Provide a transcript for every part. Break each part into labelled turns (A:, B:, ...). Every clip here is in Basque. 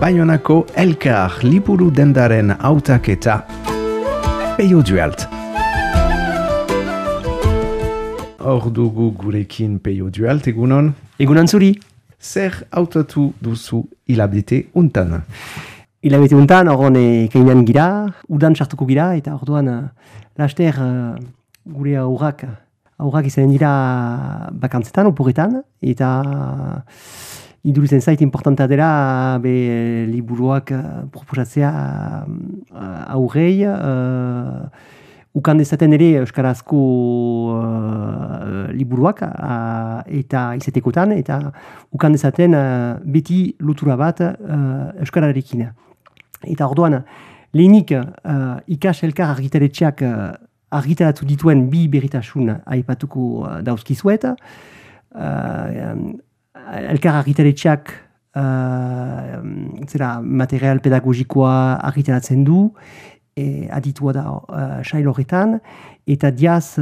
A: Baionako Elkar liburu dendaren hautaketa. Peio Dualt. Hor dugu gurekin Peio Dualt, egunon?
B: Egunon zuri.
A: Zer hautatu duzu hilabete untan?
B: Hilabete untan, horren kainan gira, udan sartuko gira, eta orduan laster gure aurrak izanen dira bakantzetan, oporretan, eta idurizen zait importanta dela liburuak proposatzea aurrei, ukan dezaten ere euskarazko liburuak eta izatekotan, eta ukan dezaten beti lotura bat euskararekin. Eta orduan, lehenik ikas elkar argitaletxeak argitaratu dituen bi berritasun aipatuko dauzkizuet. Elkar argitaletxeak material pedagogikoa argitaratzen du, aditua da sail horretan, eta diaz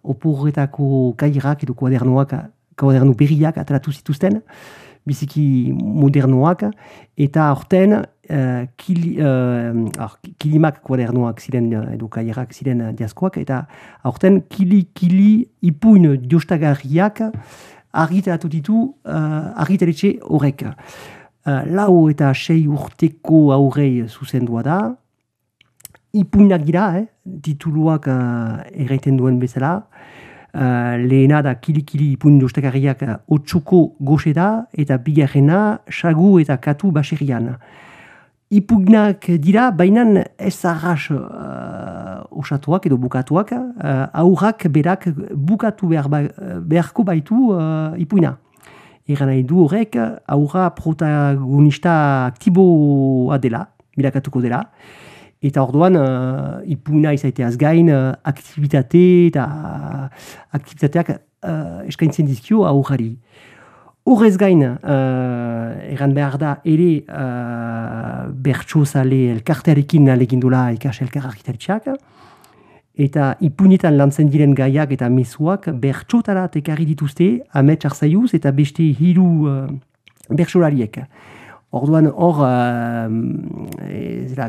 B: oporretako kairak edo kuadernu berriak ateratu zituzten, biziki modernoak, eta horten kilimak kuadernoak ziren edo kairak ziren diazkoak, eta horten kili ipuin diostagarriak argitaratu ditu argitaletxe horrek. 4 eta 6 urteko aurrei zuzendua da, ipuinak dira, tituluak erraiten duen bezala. Lehena da kili ipuin diostagarriak 8ko goxe da, eta bigarrena sagu eta katu baserrian. Ipuinak dira, baina ez arras osatuak edo bukatuak, aurrak berak bukatu beharko baitu ipuina. Eran nahi du horrek, aurra protagonista aktiboa dela, bilakatuko dela, eta orduan ipuina izaiteaz gain aktivitateak eskaintzen dizkio aurrari. Horrez gain, eran behar da ere bertsozale elkartearekin alegindula ikas elkar argitaletxeak, eta ipuinetan lantzen diren gaiak eta mezuak bertsotara tekarri dituzte Amets Arzaiuz eta beste 3 bertsolariek. Orduan hor,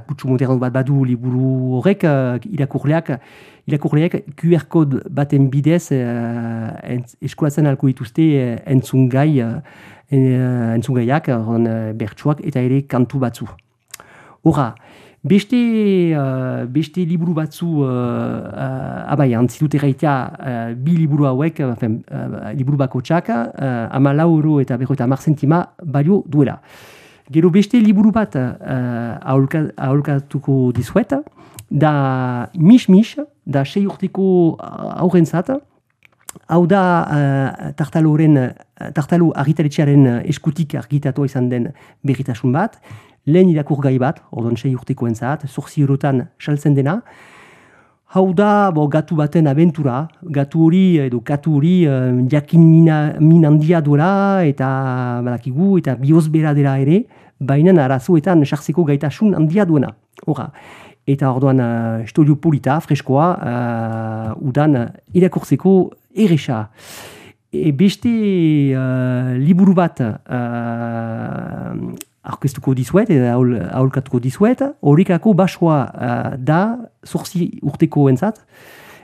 B: kutsu moderno bat badu liburu horrek, irakurleak QR kode baten bidez eskolatzen alko dituzte entzungaiak, bertsuak eta ere kantu batzu. Horra, beste liburu batzu antzitut erraitea bi liburu hauek, liburu bakotxak, 14 euro eta 50 zentima balio duela. Gero beste liburu bat aholkatuko dizuet, da Mis, da 6 urteko aurrentzat, hau da tartalo argitaletxearen eskutik argitatua izan den berritasun bat, lehen irakurgai bat, ordon 6 urtekoentzat, 8 eurotan saltzen dena. Hau da gatu baten abentura, gatu hori jakin min handia duela eta badakigu eta biozbera dela ere, baina arazoetan sartzeko gaitasun handia duena. Horra. Eta orduan historio polita, freskoa, udan irakurtzeko erresa. Beste liburu bat aurkeztuko dizuet, eta aholkatuko dizuet, horrekako basoa da 8 urteko entzat,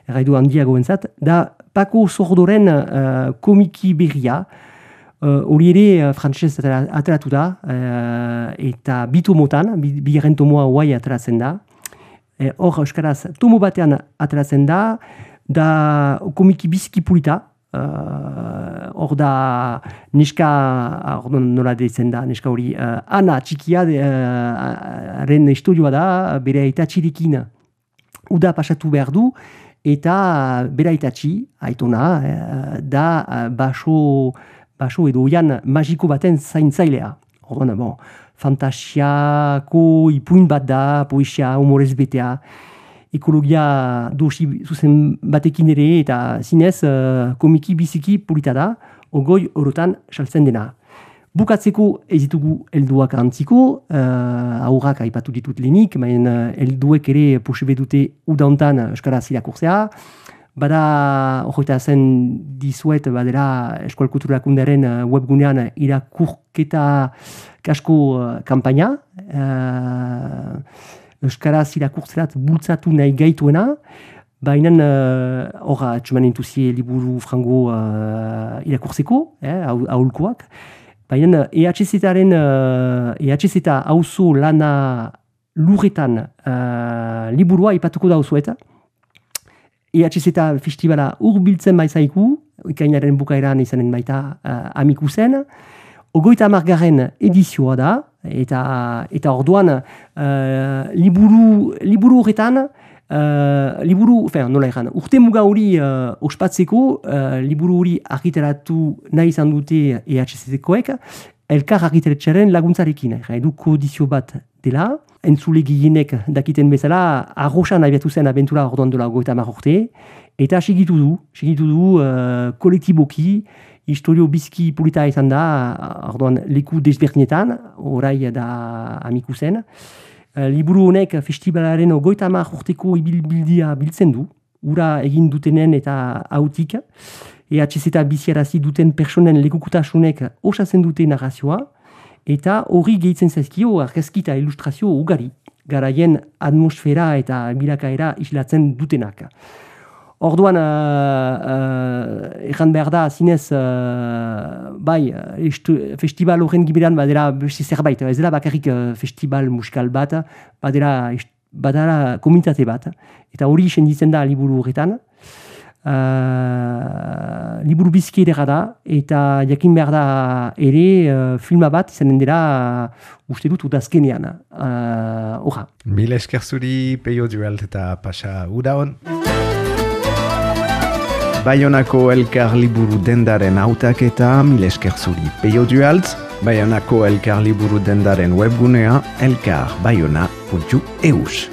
B: erraidu handiago entzat, da Paco Sordoren komiki berria, hori ere frantsez ateratu da, eta bi tomotan, bigarren tomoa guai ateratzen da, hor euskaraz tomo batean ateratzen da komiki biziki polita, hor da neska, nola deitzen da, neska hori, Ana txikia haren historioa da, bere aitatxirekin uda pasatu behar du, eta bere aitatxi, aitona, da baso edo oian magiko baten zaintzailea. Orduan, fantasiako ipuin bat da, poesia, humorez betea, ekologia dosi zuzen batekin ere, eta zinez komiki biziki polita da, 20 eurotan saltzen dena. Bukatzeko ez ditugu helduak antziko, aurrak aipatu ditut lehenik, baina helduek ere posebe dute udauntan euskaraz irakurtzea, Bada, horreta zen dizuet, badera Eskual Kulturakundaren webgunean irakurketa kasko kampaina, Euskaraz irakurtzerat bultzatu nahi gaituena, baina horra atxeman intuzie liburu frango irakurtzeko, aholkoak, baina EHZ auzo lana lurretan liburua ipatuko dauzueta. EHZ festivala urbiltzen baizaiku, ikainaren bukaeran izanen baita Amikusen. 30. edizioa da, eta orduan liburu horretan, urte muga hori ospatzeko, liburu hori argitaratu nahi izan dute EHZ-koek, elkar argitaretxaren laguntzarekin. Edu kodizio bat dela, entzule gehienek dakiten bezala, arroxan abiatu zen abentura orduan dola 30 urte, eta segitu du kolektiboki, historio bizki polita izan da, orduan leku desberdinetan, orai da Amikusen. Liburu honek festivalaren 30 urteko ibilbildia biltzen du, ura egin dutenen eta hautik, EHZ biziarazi duten personen lekukutasunek osatzen dute narrazioa, eta hori gehitzen zaizkio argazki eta ilustrazio ugari, garaien atmosfera eta bilakaera islatzen dutenak. Orduan, egan behar da, zinez, festival horren giberan badera beste zerbait, ez dela bakarrik festival musikal bat, badara komunitate bat, eta hori senditzen da liburu horretan. Liburu bizki edera da, eta jakin behar da ere filma bat izanen dira uste dut udazkenean.
A: Mil esker zuri, Peio Dualt eta Pasa Udaon. Baionako Elkar Liburu Dendaren hautaketa, mil esker zuri, Peio Dualt. Baionako Elkar Liburu Dendaren webgunea elkarbaiona.eus.